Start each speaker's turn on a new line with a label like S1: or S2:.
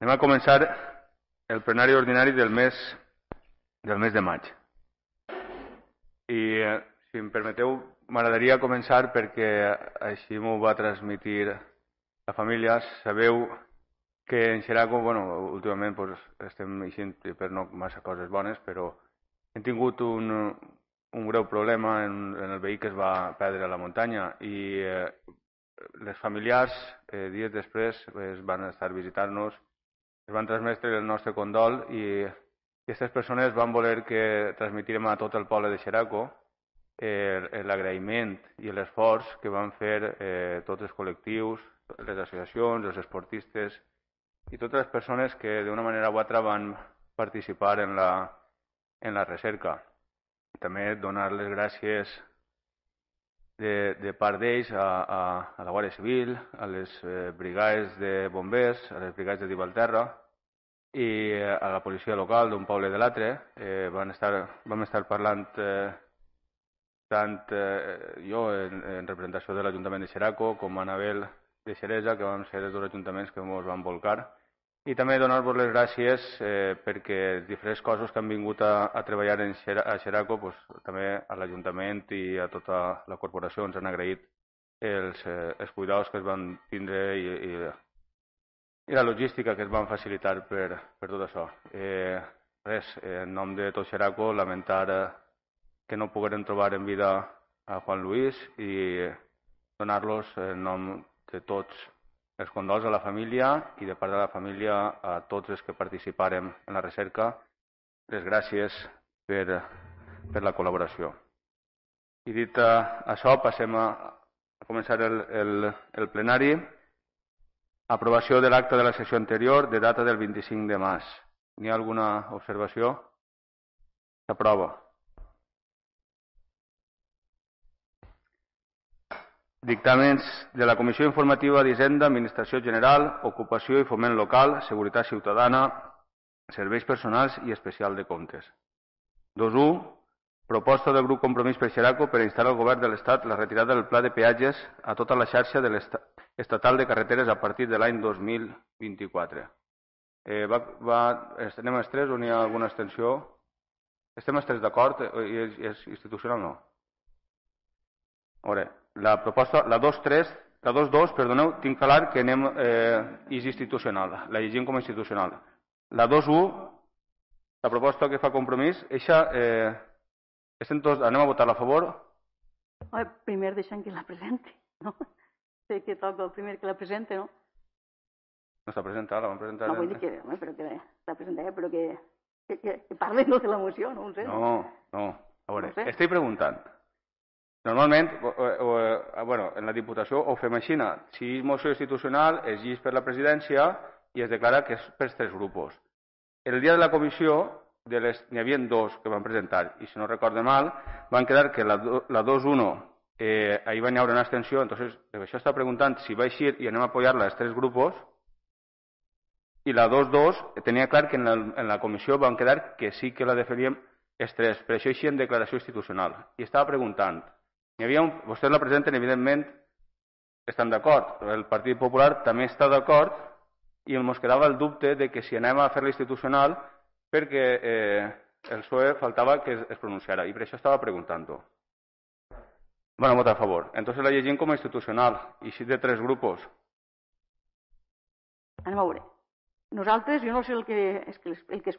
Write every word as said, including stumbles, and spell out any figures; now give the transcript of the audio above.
S1: Anem a començar el plenari ordinari del mes, del mes de maig. I, eh, si em permeteu, m'agradaria començar perquè així m'ho va transmitir la família. Sabeu que en Xeraco, bueno, últimament pues, estem eixint per no massa coses bones, però hem tingut un, un greu problema en, en el veí que es va perdre a la muntanya i eh, les familiars, eh, dies després, es van estar visitant-nos, es van transmetre el nostre condol i aquestes persones van voler que transmitirem a tot el poble de Xeraco eh, l'agraïment i l'esforç que van fer eh, tots els col·lectius, les associacions, els esportistes i totes les persones que d'una manera o altra van participar en la, en la recerca. També donar les gràcies de, de part d'ells a, a, a la Guàrdia Civil, a les eh, brigades de bombers, a les brigades de Divalterra i a la policia local d'un poble de l'altre. Eh, van estar, vam estar parlant eh, tant eh, jo en, en representació de l'Ajuntament de Xeraco com Anabel de Xeresa, que vam ser els dos ajuntaments que ens van volcar. I també donar-vos les gràcies eh, perquè diferents coses que han vingut a, a treballar en Xera, a Xeraco, pues, també a l'Ajuntament i a tota la corporació ens han agraït els, eh, els cuidados que es van tindre i, i, i la logística que es van facilitar per, per tot això. Eh, res, en nom de tot Xeraco, lamentar eh, que no pogueren trobar en vida a Juan Luis i donar-los en nom de tots els condols a la família i de part de la família a tots els que participàrem en la recerca, les gràcies per, per la col·laboració. I dit uh, això, passem a, a començar el, el, el plenari. Aprovació de l'acte de la sessió anterior de data del vint-i-cinc de març. N'hi ha alguna observació? S'aprova. Dictàmens de la Comissió Informativa d'Hisenda, Administració General, Ocupació i Foment Local, Seguretat Ciutadana, Serveis Personals i Especial de Comptes. dos u. Proposta del grup Compromís per Xeraco per instar al Govern de l'Estat la retirada del pla de peatges a tota la xarxa de estatal de carreteres a partir de l'any dos mil vint-i-quatre. Eh, va, va, estem els tres o n'hi ha alguna abstenció? Estem els tres d'acord? I és, és institucional no? A veure, la proposta, la dos tres, la dos dos, perdoneu, tinc clar que anem, eh, és institucional, la llegim com a institucional. La dos u, la proposta que fa Compromís, eixa, eh, tots, anem a votar a favor?
S2: Home, primer deixem que la presenti, no? Sé que toca el primer que la presente, no?
S1: No està presentada, la vam presentar...
S2: No, vull dir que, home, però que està presentada, però que, que, que, que parlen no de la moció, no ho sé.
S1: No, no, a veure,
S2: no sé.
S1: estic preguntant. Normalment, o, o, o, bueno, en la Diputació ho fem així. Si és moció institucional, es llis per la presidència i es declara que és per tres grups. El dia de la comissió, de les, n'hi havia dos que van presentar, i si no recorde mal, van quedar que la, la dos uno, eh, ahí va haver una abstenció, entonces això està preguntant si va eixir i anem a apoyar-la els tres grups, i la dos dos tenia clar que en la, en la comissió van quedar que sí que la defendíem els tres, per això així en declaració institucional. I estava preguntant, Hi havia un, vostès la presenten, evidentment, estan d'acord. El Partit Popular també està d'acord i ens quedava el dubte de que si anem a fer-la institucional perquè eh, el P S O E faltava que es, es pronunciara i per això estava preguntant-ho. Bueno, votar a favor. Entonces la llegim com a institucional i si de tres grups.
S2: Anem a veure. Nosaltres, jo no sé el que, és que el que es fa